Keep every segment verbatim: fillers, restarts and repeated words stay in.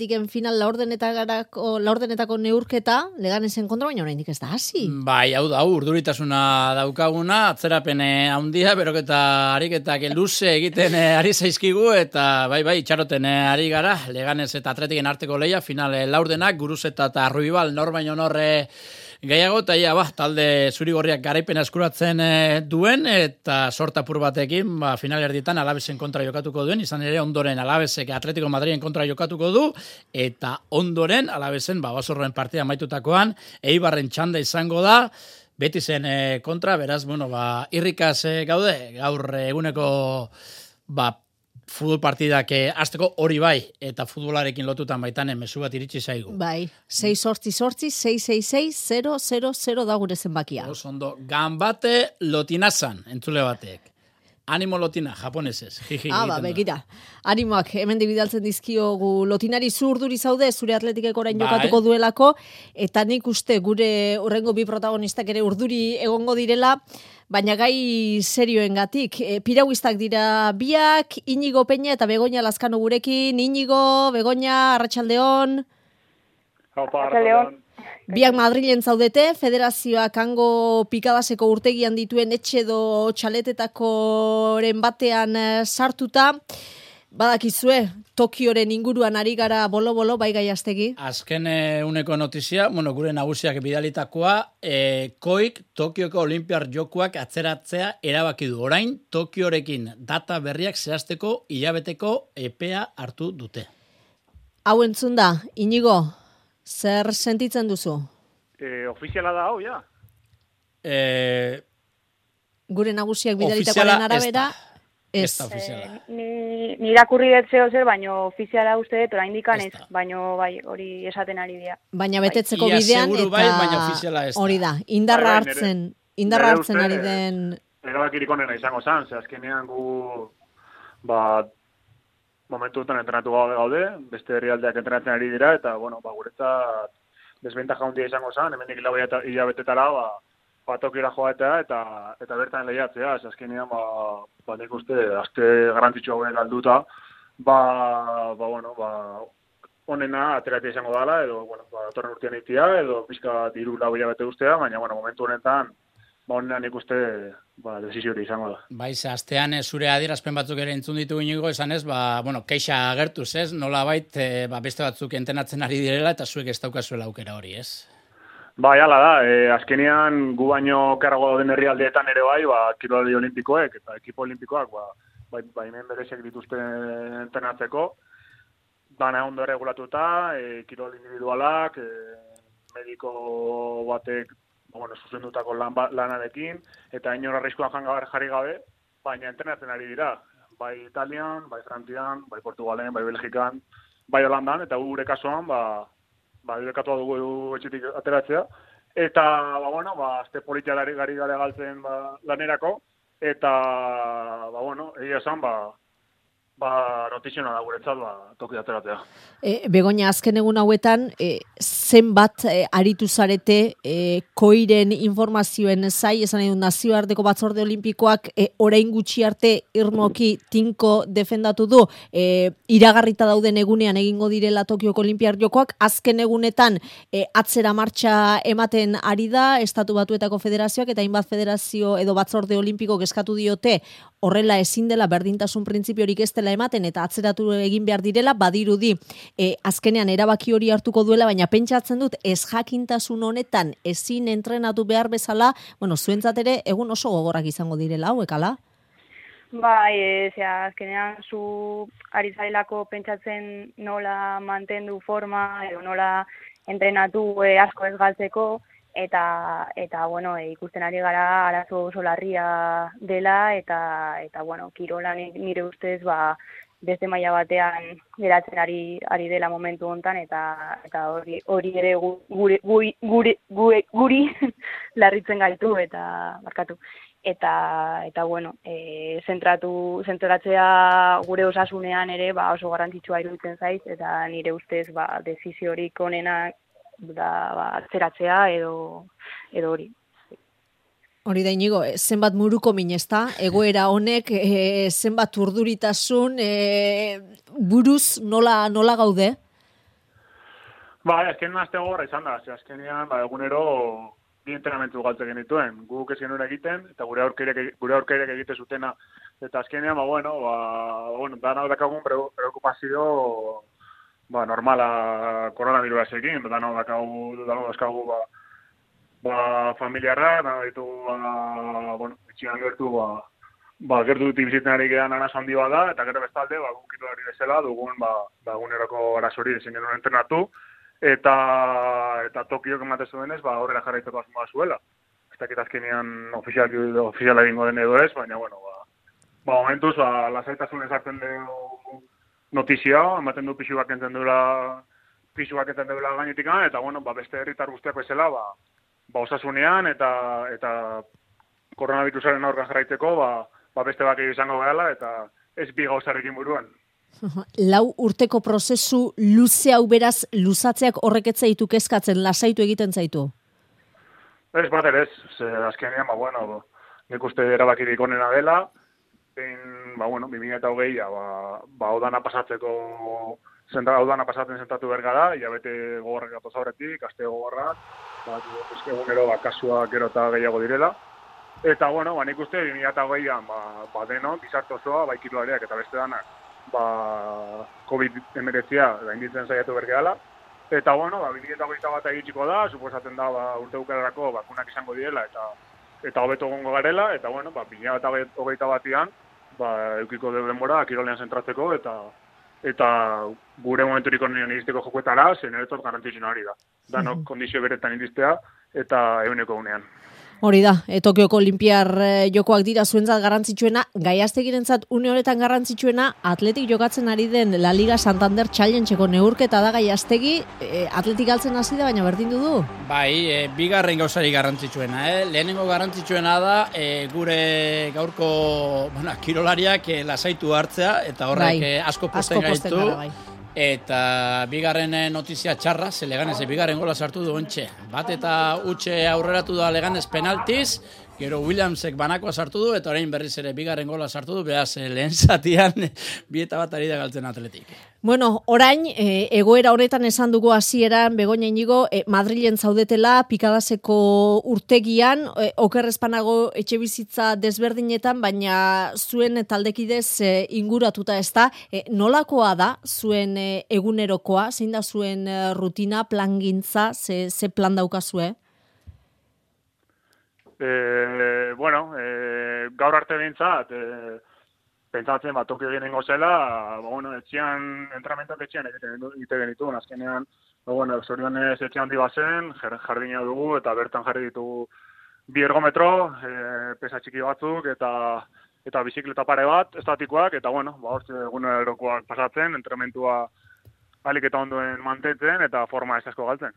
Atletiken final laurdenetako, laurdenetako neurketa, Leganesen kontra, baina oraindik ez da hasi. Bai, hau da, urduritasuna daukaguna, atzerapene handia, beroketa ariketak luze egiten ari zaizkigu, eta bai, bai, itxaroten ari gara, Leganes eta Atletiken arteko leia, final laurdenak, Guruzeta eta Ruibal, nor baino norre gehiago, eta ia, ba, talde zurigorriak garaipena eskuratzen duen, eta sortapur batekin, ba, final erdietan Alavesen kontra jokatuko duen, izan ere ondoren Alavesek Atletico Madriden kontra jokatuko du, eta ondoren Alavesen, ba, basorroen partida maitutakoan, Eibarren txanda izango da, Betisen kontra, beraz, bueno, ba, irrikaz gaude, gaur eguneko, ba, futbol partidak hasteko hori bai, eta futbolarekin lotutan baitanen mezu bat iritsi zaigu. Bai, sei sortzi sortzi, sei sei sei, zero zero zero da gure zenbakia. Oso Ganbate Lotinazan, entzule batek. Animo Lotina, japonesez. Ah, ba, begira. Animoak, hemen bidaltzen dizkiogu Lotinari zu urduri zaude, zure Atletikek orain bai. Jokatuko duelako, eta nik uste gure urrengo bi protagonistak ere urduri egongo direla, baina gai serioengatik. E, pirauistak dira biak, Inigo Peña eta Begoña Lazkano gurekin. Inigo, Begoña, Arratsaldeon. Arratsaldeon. Biak Madrilen zaudete, federazioak hango pikadaseko urtegian dituen etxe edo txaletetakoren batean sartuta. Badakizue, Tokioren inguruan ari gara bolo-bolo, bai Gaiastegi? Azken e, uneko notizia, bueno, gure nagusiak bidalitakoa, e, koik Tokioko Olimpiar Jokoak atzeratzea erabaki du. Orain, Tokiorekin data berriak zehazteko hilabeteko epea hartu dute. Hau entzun da, Inigo, zer sentitzen duzu? E, ofiziala da hau, ja. E, gure nagusiak bidalitakoaren arabera, Ez da ofiziala. Eh, ni, ni irakurri dut zeo zer, baina ofiziala uste dut, orain dikan ez, baina bai, hori esaten ari dira. Baina betetzeko Ia bidean, seguru eta bai, baina ofiziala ez da. hori da, indarra Bai, bai, hartzen, nere- indarra nere hartzen uste, ari den... Erabakirik onena izango zan, ze azkenean gu, ba, momentu honetan entrenatu gaude, beste herrialdeak entrenatzen ari dira, eta, bueno, ba, guretzat desbentaja handia izango zan, hemendik hilabetetara, ba, ba, Tokiora joatea eta eta bertan lehiatzea, ez azkenean ba ba nik uste aste garrantzitsu hauek galduta, ba ba bueno, ba honena ateratzea izango dela edo bueno, ba datorren urtean itia edo pizka hiru lau hilabete ustea, baina bueno, momentu honetan ba honena nik uste ba desizio izango da. Bai, ze astean zure adierazpen batzuk ere entzun ditugu Inigo, esanez, ba bueno, keixa agertuz, ez? Nolabait e, ba beste batzuk entrenatzen ari direla eta zuek ez daukazuela aukera hori, ez? Bai, hala da, e, azkenean gu baino karrago dauden herrialdeetan ere bai, ba, kirolari olimpikoek eta ekipo olimpikoak, ba, bai, bai hemen bereziak dituzte entrenatzeko, dana ondo regulatuta, e, kirol individualak, e, mediko batek, bueno, zuzendutako lan, lanarekin, eta inor arriskuan jarri gabe, baina entrenatzen ari dira, bai Italian, bai Frantzian, bai Portugalen, bai Belgikan, bai Holandan, eta gure kasuan, ba, ba, direkatu dugu etxetik ateratzea, eta, ba, bueno, ba, azte politialari gari gale galtzen ba, lanerako, eta, ba, bueno, egia esan, ba, ba, notiziona da guretzat, ba, toki ateratzea. E, Begoña, azken egun hauetan, e, zenbat e, aritu zarete e, koiren informazioen zai, esan edo nazioarteko batzorde olimpikoak e, orain gutxi arte irmoki tinko defendatu du, e, iragarrita dauden egunean egingo direla Tokioko Olimpiar Jokoak, azken egunetan e, atzera martxa ematen ari da, Estatu Batuetako Federazioak eta hainbat federazio edo batzorde olimpiko eskatu diote horrela ezin dela berdintasun printzipiorik ez dela ematen eta atzeratu egin behar direla, badirudi e, azkenean erabaki hori hartuko duela, baina pentsatzen dut ez jakintasun honetan ezin entrenatu behar bezala, bueno, zuentzat ere egun oso gogorrak izango direla hauek, ala? Bai, e, zera, azkenean zu ari zarelako pentsatzen nola mantendu forma edo nola entrenatu e, asko ez galtzeko, eta eta bueno, e, ikusten ari gara arazo oso larria dela eta eta bueno, kirola nire ustez ba beste maila batean geratzen ari ari dela momentu hontan eta eta hori hori ere gure guri gure gure guri larritzen gaitu eta barkatu eta eta bueno, eh zentratu zentratzea gure osasunean ere ba oso garrantzitsua iruditzen zaiz eta nire ustez ba desiziorik onena da ba atzeratzea edo edo hori. Hori da Inigo, zenbat muruko min, ezta? Egoera honek e, zenbat urduritasun e, buruz nola nola gaude? Ba, azken aste gogorra izan da, ze azkenean, ba, egunero bi entrenamentu galtze genituen. Guk ez genuen egiten, eta gure aurkeirek, gure aurkeirek egite zutena. Eta azkenean, ba, bueno, ba, bueno, dana dakagun preokupazio, ba, normala koronavirusarekin, dana dakagu, dana dakagu, ba, ba, familiarra, dana ditu, ba, bueno, etxian gertu, ba, ba, gertu dut biziten ari gehan anas handi bat da, eta gero bestalde, ba, gukitu ari bezala, dugun, ba, ba, eguneroko arazori ezin genuen entrenatu, eta eta Tokiok ematen zuenez, ba, horrela jarraitzeko asmoa zuela. Ez dakit azkenean ofizial, ofiziala egingo den edo ez, baina, bueno, ba, ba momentuz, ba, lasaitasun ezartzen dugu notizia, ematen du pixu bak enten duela, pixu bak enten duela gainetik, eta, bueno, ba, beste herritar guztiak bezala, ba, ba, osasunean, eta, eta koronavirusaren aurka jarraitzeko, ba, ba, beste bak izango gehala, eta ez bi gauzarekin buruan. Lau urteko prozesu luze hau beraz, luzatzeak horreketza ditu kezkatzen, lasaitu egiten zaitu? Ez, bat ere ez, ze azkenean, ba, bueno, nik uste erabakirik onena dela, behin, ba, bueno, bi mila hogeia, ba, ba, odana pasatzeko, zenta, odana pasatzen zentatu bergara, hilabete gogorrak gatoz aurretik, aste gogorrak, ba, egunero, ba, kasuak gero eta gehiago direla, eta, bueno, ba, nik uste bi mila hogeian, ba, ba, denon, bizartu osoa, ba, ikirulariak eta beste danak, ba, covid hemeretzia gainditzen saiatu bergehala. Eta, bueno, ba, bi mila hogeita bat egitxiko da, suposatzen da, ba, urte bukaerarako bakunak izango direla, eta eta hobeto egongo garela, eta, bueno, ba, bi mila hogeita batian, ba, eukiko dugu denbora, kirolean zentratzeko, eta eta gure momenturik onenen iristeko jokuetara, zen eretot garrantzitsuna hori da. Danok kondizio beretan iristea, eta eguneko unean. Hori da, e, Tokioko Olimpiar e, jokoak dira zuentzat garrantzitsuena, Gaiaztegirentzat une honetan garrantzitsuena, atletik jokatzen ari den La Liga Santander Challengeko neurketa da Gaiaztegi, e, atletik galtzen hasi da, baina berdindu du? Bai, e, bigarren gauzari garrantzitsuena, eh? Lehenengo garrantzitsuena da, e, gure gaurko, bueno, kirolariak e, lasaitu hartzea, eta horrek bai, e, asko posten gaitu. Bai. Eta bigarren notizia txarra, ze Leganez bigarren gola sartu du ontxe. Bat eta utxe aurreratu da Leganez penaltiz, gero Williamsek banakoa sartu du, eta orain berriz ere bigarren gola sartu du, behaz lehen zatian bi eta bat ari da galtzen atletik. Bueno, orain, e, egoera honetan esan dugu hasieran Begoña Inigo, e, Madrilen zaudetela, Pikadaseko urtegian, e, okerrezpanago etxe bizitza desberdinetan, baina zuen taldekidez e, inguratuta ez da. E, nolakoa da zuen e, egunerokoa, zein da zuen e, rutina, plangintza, ze, ze plan daukazue? Eh, bueno, eh, gaur arte bintzat, eh, pentsatzen bat Tokio genengo zela, ba, bueno, etxean, entramentoak etxean egite genituen, azkenean, ba, bueno, zorionez etxean handi bazen, jardina dugu, eta bertan jarri ditugu bi ergometro, e, pesa txiki batzuk, eta eta bizikleta pare bat, estatikoak, eta, bueno, ba, hortze egunerokoak pasatzen, entramentua alik eta ondoen mantentzen, eta forma ez asko galtzen.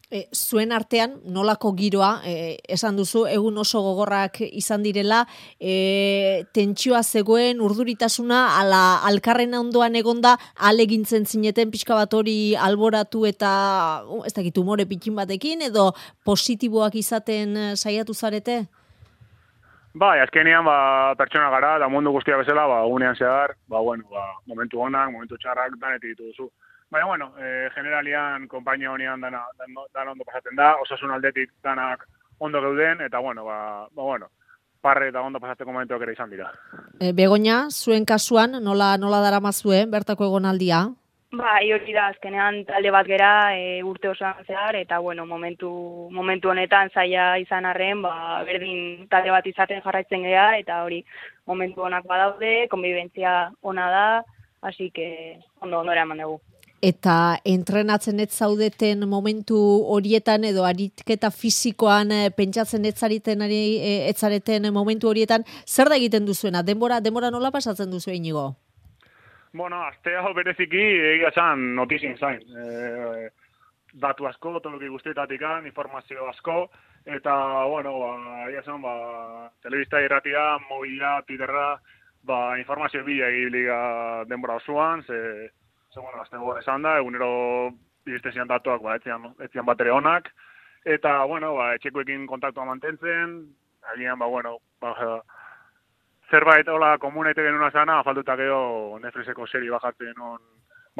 E, zuen artean, nolako giroa, e, esan duzu, egun oso gogorrak izan direla, e, tentsioa zegoen, urduritasuna, ala alkarren ondoan egonda, alegintzen zineten pixka bat hori alboratu eta, uh, ez dakit, umore pikin batekin, edo positiboak izaten saiatu zarete? Bai, azkenean, ba, pertsona gara, da mundu guztia bezala, ba, unean zehar, ba, bueno, ba, momentu onak, momentu txarrak, danetik dituzu. Baina, bueno, eh, generalian, konpainia honean dana, dana, dana ondo pasatzen da, osasun aldetik danak ondo geuden, eta, bueno, ba, ba bueno, parre eta ondo pasatzeko momentuak ere izan dira. E, Begoña, zuen kasuan, nola, nola daramazue, bertako egonaldia? Ba, hori da, azkenean talde bat gera e, urte osoan zehar, eta, bueno, momentu, momentu honetan zaila izan arren, ba, berdin talde bat izaten jarraitzen gea, eta hori, momentu onak badaude, konbibentzia ona da, hasi que ondo, ondo eraman dugu. Eta entrenatzen ez zaudeten momentu horietan edo aritketa fisikoan e, pentsatzen ez zareten ari e, ez zareten momentu horietan, zer da egiten duzuena? Denbora, denbora nola pasatzen duzu Inigo? Bueno, aste hau bereziki egia esan notizien zain. E, datu asko, toki guztietatikan, informazio asko, eta, bueno, ba, egia esan, ba, telebista irratia, mobila, Twitterra, ba, informazio bila egibliga denbora osoan, ze bueno, azte gora esan da, egunero iristen zian datuak, ba, etzian, etzian bat ere onak, eta, bueno, ba, etxekoekin kontaktua mantentzen, agian, ba, bueno, ba, zerbait hola komunaite genuna zana, afalduta geho Netflixeko seri bajatzen on,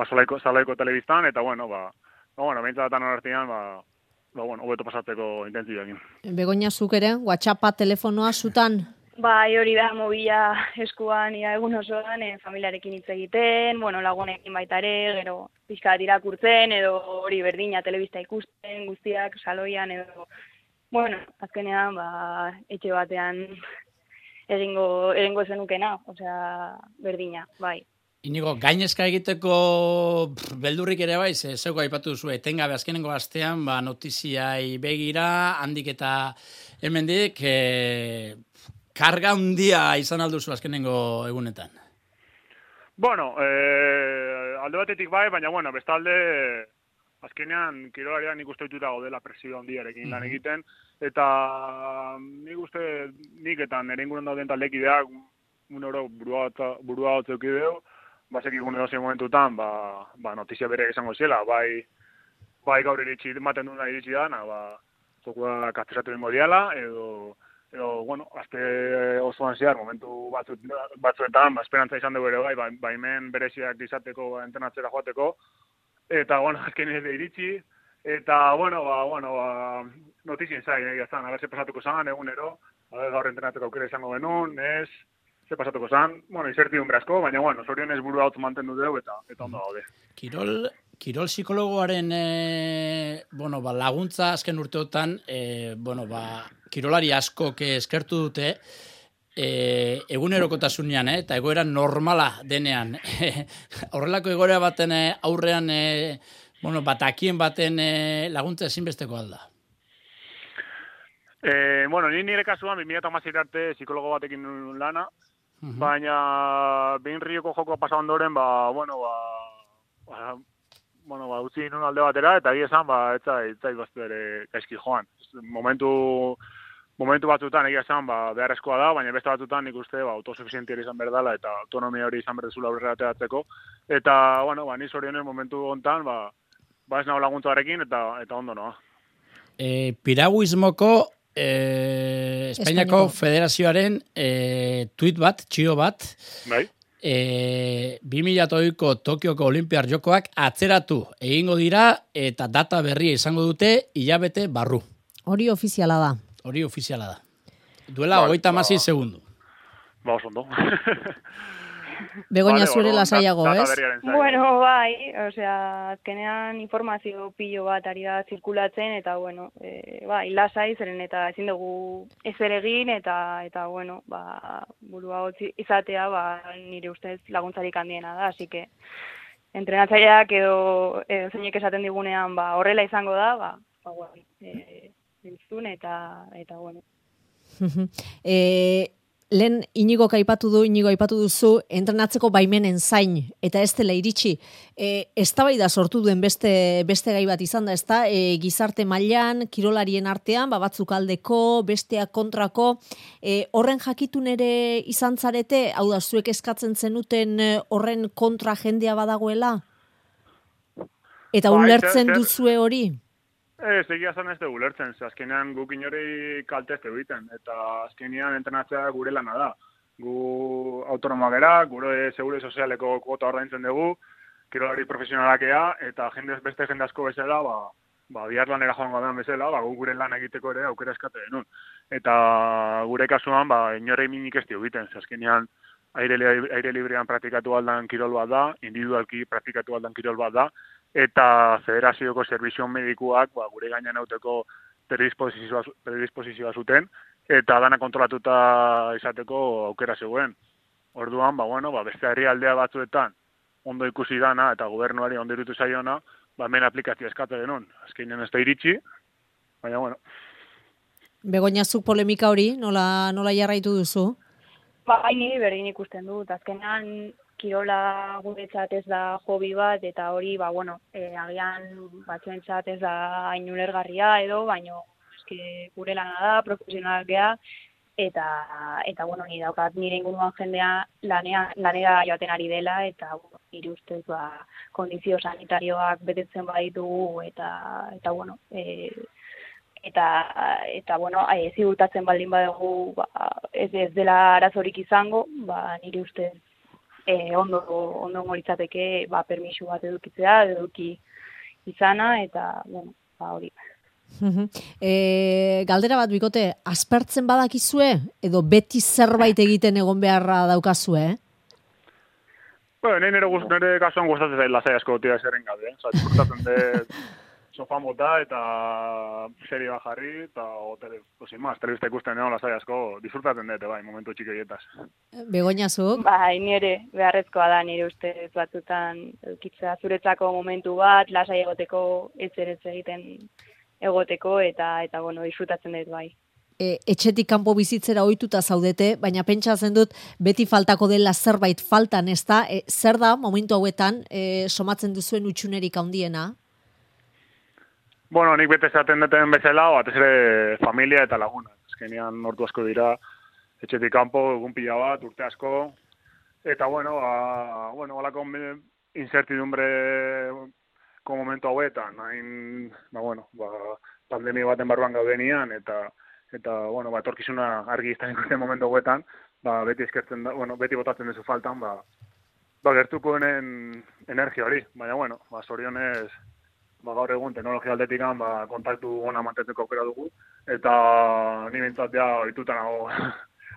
ba, zalaiko, zalaiko telebistan, eta, bueno, ba, ba, bueno, behintzat atan horartian, ba, ba, bueno, hobeto pasatzeko intentzioekin. Begoña, zuk ere, WhatsAppa, telefonoa, zutan? Bai, hori da, mobila eskuan ia egun osoan, e, familiarekin hitz egiten, bueno, lagunekin baita ere, gero pixka bat irakurtzen, edo hori berdina telebista ikusten, guztiak saloian, edo, bueno, azkenean, ba, etxe batean egingo, egingo zenukena, osea, berdina, bai. Inigo, gainezka egiteko pff, beldurrik ere bai, ze zeuko aipatu duzu, etengabe azkenengo astean, ba, notiziai begira, handik eta hemendik, e, karga handia izan alduzu azkenengo egunetan. Bueno, eh, alde batetik bai, baina, bueno, bestalde, azkenean, kirolarian nik uste dituta gaudela presio handiarekin lan egiten, eta nik uste nik eta nire inguruan dauden taldekideak, un oro burua, burua hotzeuki deu, basek ikune dozen momentutan, ba, ba, notizia bere izango zela, bai, bai gaur iritsi, maten duna iritsi dana, ba, zokua kastezatu ingo diala, edo, edo, bueno, azte osoan zehar, momentu batzu, batzuetan, ba, esperantza izan dugu ere bai, ba, baimen bereziak izateko, ba, entrenatzera joateko, eta, bueno, azken ez iritsi, eta, bueno, ba, bueno, ba, notizien zai, egia zan, haber, ze pasatuko zan, egunero, haber, gaur entrenatzeko aukera izango genuen, ez, ze pasatuko zan, bueno, izertidun brazko, baina, bueno, zorionez burua hotz mantendu dugu, eta, eta ondo gaude. Kirol, kirol psikologoaren e, bueno, ba, laguntza azken urteotan, e, bueno, ba, kirolari askok eskertu dute, e, egunerokotasunean, eh, eta egoera normala denean. Horrelako egoera baten aurrean, e, bueno, batakien baten e, laguntza ezinbesteko alda. E, bueno, ni nire kasuan, bi mila hamasei arte psikologo batekin nuen lana, uh-huh. Baina behin rioko joko pasa ondoren, ba, bueno, ba, ba, bueno, ba, utzi nun alde batera, eta egia esan, ba, etza, etza ibaztu ere gaizki joan. Momentu, momentu batzutan egia esan, ba, beharrezkoa da, baina beste batzutan nik uste, ba, autosuficientia izan behar dela, eta autonomia hori izan behar dezula aurrera ateratzeko. Eta, bueno, ba, ni zorionez momentu hontan, ba, ba ez nago laguntzarekin, eta, eta ondo noa. E, piraguismoko E, Espainiako Espainiako Federazioaren e, tuit bat, txio bat, bai. E, bi mila hogeiko Tokioko Olimpiar Jokoak atzeratu egingo dira eta data berria izango dute hilabete barru. Hori ofiziala da. Hori ofiziala da. Duela hogeita ba, hamasei segundu. Ba, oso ondo. Begoña vale, zure lasaiago, ez? Bueno, bai, osea, azkenean informazio pilo bat ari da zirkulatzen, eta, bueno, e, bai, lasai, zeren eta ezin dugu ezer egin, eta, eta bueno, ba, burua hotz izatea, ba, nire ustez laguntzarik handiena da, así que, entrenatzaileak edo, edo zeinek esaten digunean, ba, horrela izango da, ba, ba, bueno, e, entzun, eta, eta, bueno. eh, Lehen Inigo aipatu du, Inigo aipatu duzu, entrenatzeko baimenen zain, eta ez dela iritsi. E, eztabaida sortu duen beste, beste gai bat izan da, ez da, e, gizarte mailan, kirolarien artean, ba, batzuk aldeko, besteak kontrako, e, horren jakitun ere izan zarete, hau da, zuek eskatzen zenuten horren kontra jendea badagoela? Eta ba, ulertzen duzue hori? Ez, egia zan ez dugu lertzen, azkenean guk inori kaltezte egiten, eta azkenean entrenatzea gure lana da. Gu autonomoak era, gure segure sozialeko kuota ordaintzen dugu, kirolari profesionalakea, eta jende beste jende asko bezala, ba, ba, bihar lanera joango den bezala, ba, gure lan egiteko ere aukera eskate denun. Eta gure kasuan, ba, inorei minik ez egiten, azkenean aire, aire librean praktikatu aldan kirol bat da, individualki praktikatu aldan kirol bat da, eta federazioko zerbizio medikuak ba, gure gainean hauteko predisposizioa, predisposizioa zuten, eta dana kontrolatuta izateko aukera zegoen. Orduan, ba, bueno, ba, beste herrialdea batzuetan ondo ikusi dana eta gobernuari ondo irutu zaiona, ba, hemen aplikazio eskate denun. Azkenean ez da iritsi, baina, bueno. Begoña, zuk polemika hori, nola, nola jarraitu duzu? Ba, haini berdin ikusten dut, azkenean kirola guretzat ez da hobi bat, eta hori, ba, bueno, e, agian batzuentzat ez da hain ulergarria edo, baino eske gure lana da, profesionalak gea, eta, eta bueno, ni daukat nire inguruan jendea lanea, lanera joaten ari dela, eta bueno, nire ustez, ba, kondizio sanitarioak betetzen baditugu, eta, eta bueno, e, eta, eta bueno, e, ziurtatzen baldin badugu, ba, ez, ez dela arazorik izango, ba, nire ustez, E, ondo ondo litzateke ba permiso bat edukitzea, eduki izana, eta, bueno, ba, hori. E, galdera bat bikote, aspertzen badakizue edo beti zerbait egiten egon beharra daukazue, eh? Bueno, nire nire, gust, nire kasuan gustatzen zaila lasai asko tira zerren gabe, eh? Osa, disfrutatzen dut sofan bota eta serie bat jarri, eta o, tele, osin maz, telebista ikusten egon lasai asko disfrutatzen dut, bai, momentu txikioietaz. Begoña zuk? Bai, nire beharrezkoa da nire ustez batzutan eukitzea zuretzako momentu bat, lasai egoteko, ez ere egiten egoteko, eta, eta bueno, disfrutatzen dut bai. E, etxetik kanpo bizitzera ohituta zaudete, baina pentsatzen dut beti faltako dela zerbait faltan, ez da? E, zer da, momentu hauetan, e, somatzen duzuen utxunerik handiena? Bueno, nik bete zaten duten bezala, batez ere familia eta laguna. Azkenean ordu asko dira, etxetik kanpo, egun pila bat, urte asko, eta bueno, ba, bueno, holako incertidumbre ko momentu hauetan, hain, ba, bueno, ba, pandemia baten barruan gaudenian, eta eta, bueno, ba, etorkizuna argi izan ikusten momentu hauetan, ba, beti eskertzen da, bueno, beti botatzen duzu faltan, ba, ba, gertuko denen energia hori, baina, bueno, ba, zorionez, ba, gaur egun teknologia aldetikan, ba, kontaktu ona mantentzeko aukera dugu, eta ni bintzat ja ohituta nago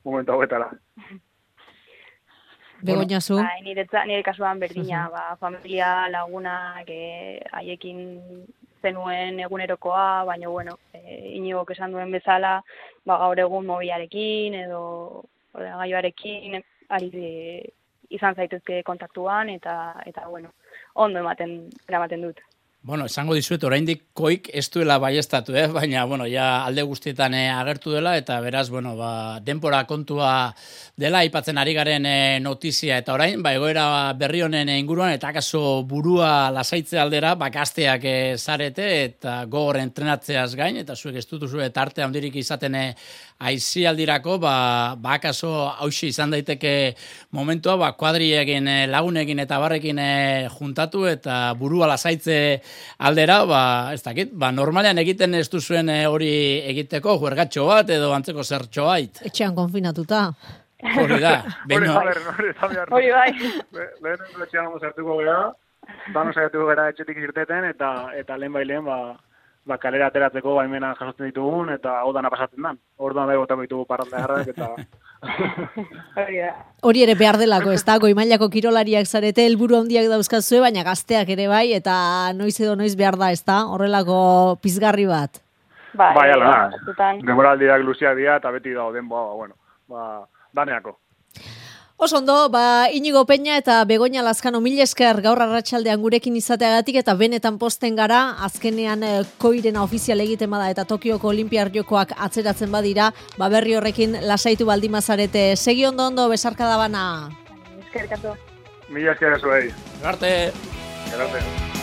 momentu hauetara. Begoña zu? Bai, nire, nire kasuan berdina, ba, familia, lagunak, haiekin zenuen egunerokoa, baina, bueno, e, Inigok esan duen bezala, ba, gaur egun mobilarekin edo ordenagailuarekin ari de, izan zaitezke kontaktuan, eta, eta bueno, ondo ematen, eramaten dut. Bueno, esango dizuet, oraindik koik ez duela baiestatu, eh? Baina, bueno, ja alde guztietan eh, agertu dela, eta beraz, bueno, ba, denpora kontua dela, aipatzen ari garen eh, notizia, eta orain, ba, egoera berri honen inguruan, eta akaso burua lasaitze aldera, ba, gazteak eh, zarete, eta gogor entrenatzeaz gain, eta zuek ez dutuzu eta arte handirik izaten eh, aizialdirako, ba, ba, akaso hausi izan daiteke momentua, ba, kuadriekin, eh, lagunekin eta barrekin eh, juntatu, eta burua lasaitze aldera, ba, ez dakit, ba, normalean egiten ez duzuen hori egiteko, juergatxo bat edo antzeko zertxo bait. Etxean konfinatuta. Hori da. Hori da, hori bai. Lehen etxean zertuko gara, dano zertuko gara etxetik irteten, eta, eta lehen bai lehen, ba, ba, kalera ateratzeko baimena jasotzen ditugun, eta hau dana pasatzen dan. Orduan bai botako ditugu parranda jarrak, eta... Hori ere behar delako, ez da, goi mailako kirolariak zarete, helburu handiak dauzkazue, baina gazteak ere bai, eta noiz edo noiz behar da, ez da, horrelako pizgarri bat. Bai, bai, ala da, demoraldiak luziak dira, eta beti dauden, ba, bueno, ba, daneako. Oso ondo, ba, Inigo Peña eta Begoña Lazkano mil esker gaur arratsaldean gurekin izateagatik eta benetan posten gara, azkenean eh, koirena ofizial egiten bada eta Tokioko Olinpiar Jokoak atzeratzen badira, ba berri horrekin lasaitu baldimazarete. Segi ondo ondo, besarka da bana. Eskerrik asko. Mila esker zuei. Garte. Garte.